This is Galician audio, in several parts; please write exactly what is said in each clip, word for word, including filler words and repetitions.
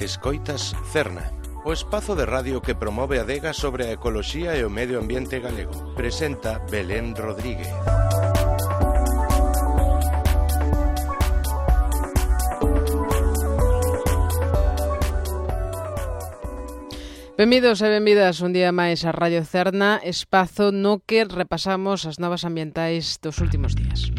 Escoitas Cerna, o espazo de radio que promove a adega sobre a ecoloxía e o medio ambiente galego. Presenta Belén Rodríguez. Benvidos e benvidas un día máis a Radio Cerna, espazo no que repasamos as novas ambientais dos últimos días.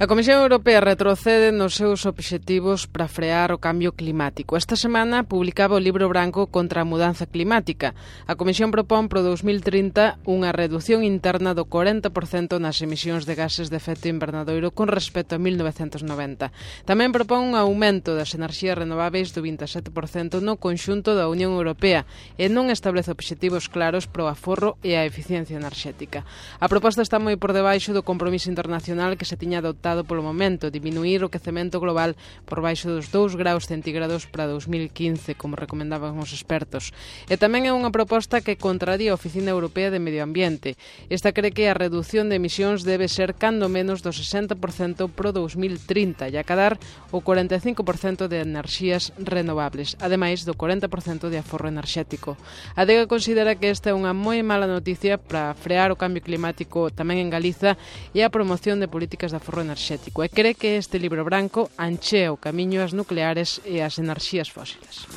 A Comisión Europea retrocede nos seus obxectivos para frear o cambio climático. Esta semana publicaba o libro branco contra a mudanza climática. A Comisión propón para o dos mil trinta unha reducción interna do corenta por cento nas emisións de gases de efecto invernadoiro con respecto a mil novecentos noventa. Tamén propón un aumento das enerxías renováveis do vinte e sete por cento no conxunto da Unión Europea e non establece obxectivos claros para o aforro e a eficiencia enerxética. A proposta está moi por debaixo do compromiso internacional que se tiña adoptado polo momento, diminuir o quecemento global por baixo dos dous graus centígrados para dos mil quince, como recomendaban os expertos. E tamén é unha proposta que contraría a Oficina Europea de Medio Ambiente. Esta cree que a reducción de emisións debe ser cando menos do sesenta por cento pro dos mil trinta e acadar o cuarenta e cinco por cento de enerxías renovables, ademais do cuarenta por cento de aforro enerxético. A adega considera que esta é unha moi mala noticia para frear o cambio climático tamén en Galiza e a promoción de políticas de aforro enerxético. E cree que este libro branco anchea o camiño ás nucleares e ás enerxías fósiles.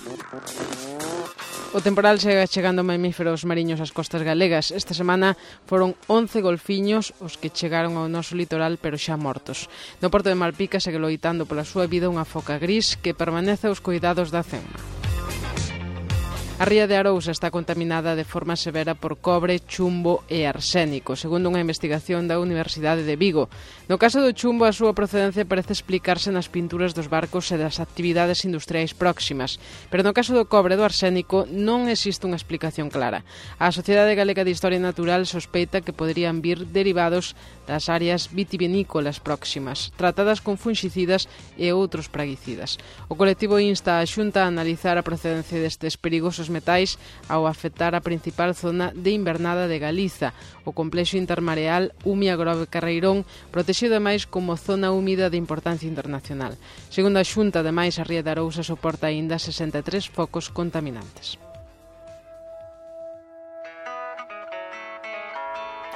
O temporal segue chegando mamíferos mariños ás costas galegas. Esta semana foron once golfiños os que chegaron ao noso litoral, pero xa mortos. No porto de Malpica segue loitando pola súa vida unha foca gris que permanece aos cuidados da CEMMA. A ría de Arousa está contaminada de forma severa por cobre, chumbo e arsénico, segundo unha investigación da Universidade de Vigo. No caso do chumbo, a súa procedencia parece explicarse nas pinturas dos barcos e das actividades industriais próximas, pero no caso do cobre e do arsénico non existe unha explicación clara. A Sociedade Galega de Historia Natural sospeita que poderían vir derivados das áreas vitivinícolas próximas, tratadas con funxicidas e outros praguicidas. O colectivo insta a Xunta a analizar a procedencia destes perigosos metais ao afectar a principal zona de invernada de Galiza, o complexo intermareal Umia Grove Carreirón, protexido ademais como zona húmida de importancia internacional. Segundo a Xunta, ademais, a ría de Arousa soporta aínda sesenta e tres focos contaminantes.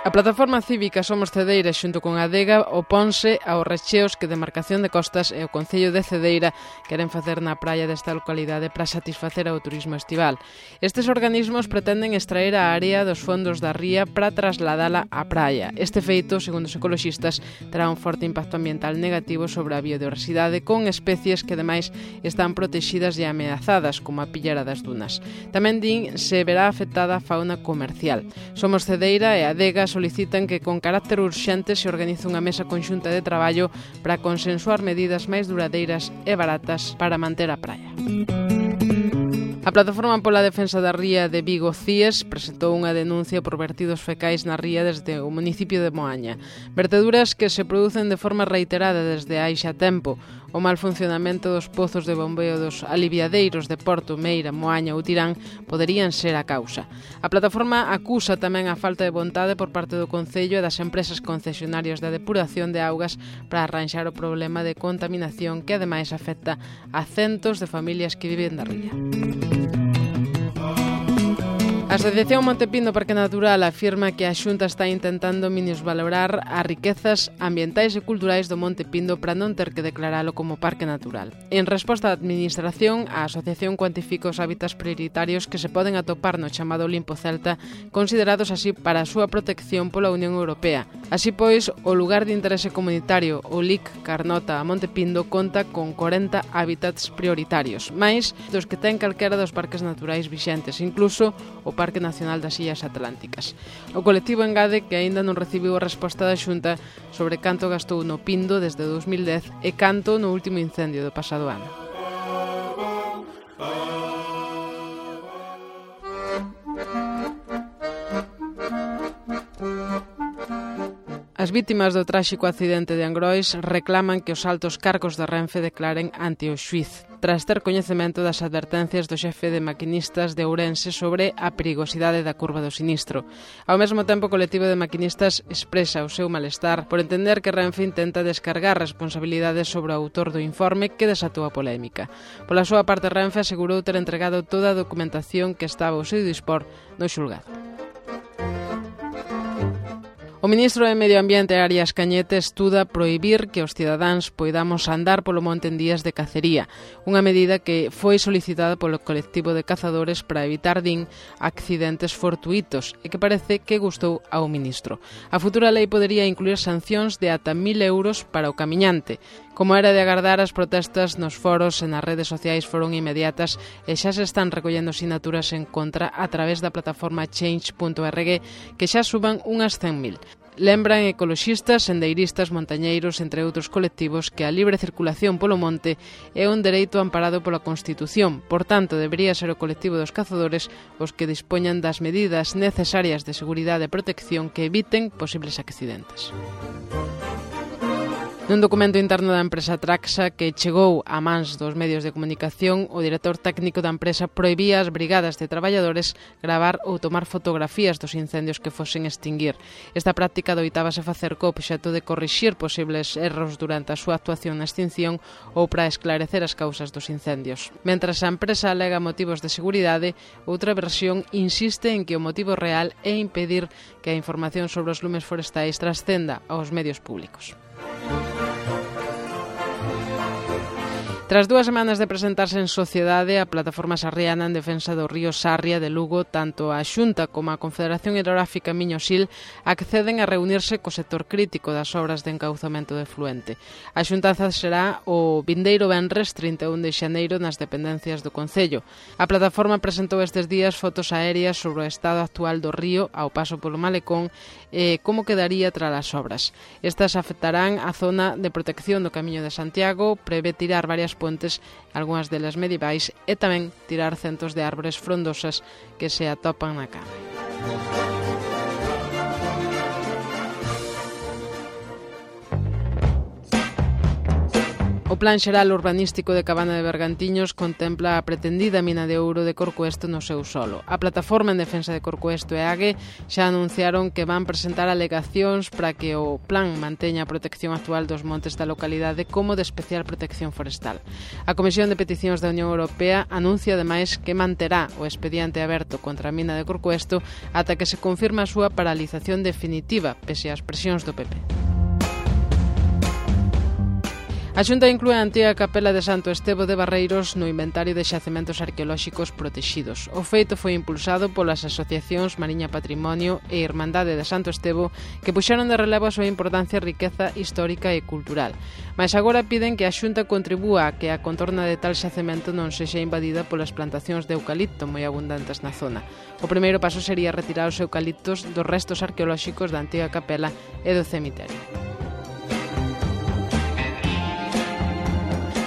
A plataforma cívica Somos Cedeira xunto con a adega oponse aos recheos que Demarcación de Costas e o Concello de Cedeira queren facer na praia desta localidade para satisfacer ao turismo estival. Estes organismos pretenden extraer a área dos fondos da ría para trasladala á praia. Este feito, segundo os ecoloxistas, terá un forte impacto ambiental negativo sobre a biodiversidade con especies que ademais están protexidas e ameazadas, como a pillera das dunas. Tamén din se verá afectada a fauna comercial. Somos Cedeira e a adega solicitan que con carácter urxente se organice unha mesa conxunta de traballo para consensuar medidas máis duradeiras e baratas para manter a praia. A Plataforma pola Defensa da Ría de Vigo, CIES, presentou unha denuncia por vertidos fecais na ría desde o municipio de Moaña. Verteduras que se producen de forma reiterada desde hai xa tempo. O mal funcionamento dos pozos de bombeo dos aliviadeiros de Porto, Meira, Moaña ou Tirán poderían ser a causa. A plataforma acusa tamén a falta de vontade por parte do Concello e das empresas concesionarias de depuración de augas para arranxar o problema de contaminación que ademais afecta a centos de familias que viven da ría. A Asociación Monte Pindo Parque Natural afirma que a Xunta está intentando minusvalorar as riquezas ambientais e culturais do Monte Pindo para non ter que declaralo como parque natural. En resposta á Administración, a Asociación cuantifica os hábitats prioritarios que se poden atopar no chamado Limpo Celta, considerados así para a súa protección pola Unión Europea. Así pois, o lugar de interese comunitario, o L I C Carnota a Monte Pindo, conta con corenta hábitats prioritarios, máis dos que ten calquera dos parques naturais vixentes, incluso o Parque Nacional das Illas Atlánticas. O colectivo engade que aínda non recibiu a resposta da Xunta sobre canto gastou no Pindo desde dous mil dez e canto no último incendio do pasado ano. A As vítimas do tráxico accidente de Angrois reclaman que os altos cargos da Renfe declaren ante o xuíz, tras ter coñecemento das advertencias do xefe de maquinistas de Ourense sobre a perigosidade da curva do sinistro. Ao mesmo tempo, o colectivo de maquinistas expresa o seu malestar por entender que Renfe intenta descargar responsabilidades sobre o autor do informe que desatou a polémica. Pola súa parte, Renfe asegurou ter entregado toda a documentación que estaba ao seu dispor no xulgado. O ministro de Medio Ambiente, Arias Cañete, estuda prohibir que os cidadáns poidamos andar polo monte en días de cacería, unha medida que foi solicitada polo colectivo de cazadores para evitar, din, accidentes fortuitos e que parece que gustou ao ministro. A futura lei podería incluir sancións de ata mil euros para o camiñante. Como era de agardar, as protestas nos foros e nas redes sociais foron inmediatas e xa se están recollendo sinaturas en contra a través da plataforma change punto org, que xa suban unhas cen mil. Lembran ecoloxistas, sendeiristas, montañeiros, entre outros colectivos, que a libre circulación polo monte é un dereito amparado pola Constitución. Por tanto, debería ser o colectivo dos cazadores os que dispoñan das medidas necesarias de seguridade e protección que eviten posibles accidentes. Nun documento interno da empresa Traxa que chegou a mans dos medios de comunicación, o director técnico da empresa prohibía ás brigadas de traballadores gravar ou tomar fotografías dos incendios que fosen extinguir. Esta práctica doitábase facer co obxecto de corrixir posibles erros durante a súa actuación na extinción ou para esclarecer as causas dos incendios. Mentras a empresa alega motivos de seguridade, outra versión insiste en que o motivo real é impedir que a información sobre os lumes forestais trascenda aos medios públicos. Tras dúas semanas de presentarse en sociedade, a plataforma sarriana en defensa do río Sarria de Lugo, tanto a Xunta como a Confederación Hidrográfica Miño-Sil acceden a reunirse co sector crítico das obras de encauzamento de fluente. A xuntanza será o vindeiro venres trinta e un de xaneiro nas dependencias do Concello. A plataforma presentou estes días fotos aéreas sobre o estado actual do río ao paso polo malecón e como quedaría tras as obras. Estas afectarán a zona de protección do Camiño de Santiago, prevé tirar varias pontes, algunhas delas medievais, e tamén tirar centos de árbores frondosas que se atopan na cama. O Plan Xeral Urbanístico de Cabana de Bergantiños contempla a pretendida mina de ouro de Corcoesto no seu solo. A Plataforma en Defensa de Corcoesto e AGE xa anunciaron que van presentar alegacións para que o plan manteña a protección actual dos montes da localidade como de especial protección forestal. A Comisión de Peticións da Unión Europea anuncia ademais que manterá o expediente aberto contra a mina de Corcoesto ata que se confirma a súa paralización definitiva, pese ás presións do P P. A Xunta inclúe a antiga capela de Santo Estevo de Barreiros no inventario de xacementos arqueolóxicos protexidos. O feito foi impulsado polas asociacións Mariña Patrimonio e Irmandade de Santo Estevo, que puxeron de relevo a súa importancia e riqueza histórica e cultural. Mais agora piden que a Xunta contribúa a que a contorna de tal xacemento non sexa invadida polas plantacións de eucalipto moi abundantes na zona. O primeiro paso sería retirar os eucaliptos dos restos arqueolóxicos da antiga capela e do cemiterio.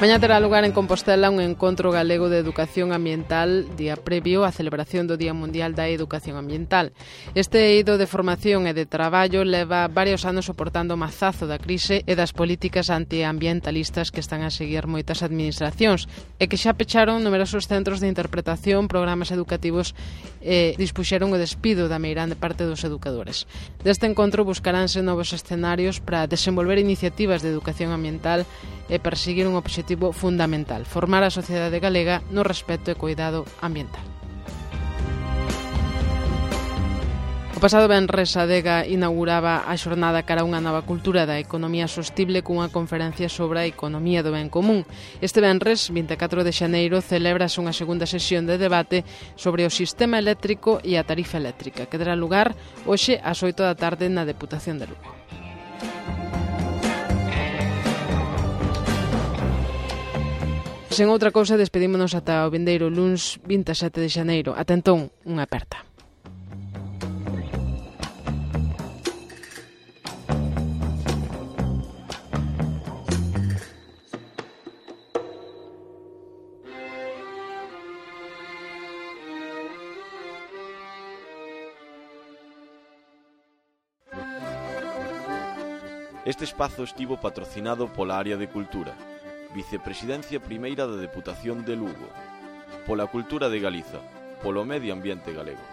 Mañá terá lugar en Compostela un encontro galego de educación ambiental día previo á celebración do Día Mundial da Educación Ambiental. Este eido de formación e de traballo leva varios anos soportando o mazazo da crise e das políticas antiambientalistas que están a seguir moitas administracións e que xa pecharon numerosos centros de interpretación, programas educativos e dispuxeron o despido da meirande parte dos educadores. Deste encontro buscaránse novos escenarios para desenvolver iniciativas de educación ambiental e perseguir un obxectivo fundamental: formar a sociedade galega no respecto e cuidado ambiental. O pasado venres a Adega inauguraba a xornada cara a unha nova cultura da economía sostible cunha conferencia sobre a economía do ben común. Este venres, vinte e catro de xaneiro, celébrase unha segunda sesión de debate sobre o sistema eléctrico e a tarifa eléctrica, que dará lugar hoxe ás oito da tarde na Deputación de Lugo. Sen outra cousa, despedímonos ata o vindeiro luns vinte e sete de xaneiro. Ata entón, unha aperta. Este espazo estivo patrocinado pola área de Cultura, Vicepresidencia Primeira da Deputación de Lugo, pola Cultura de Galiza, polo Medio Ambiente Galego.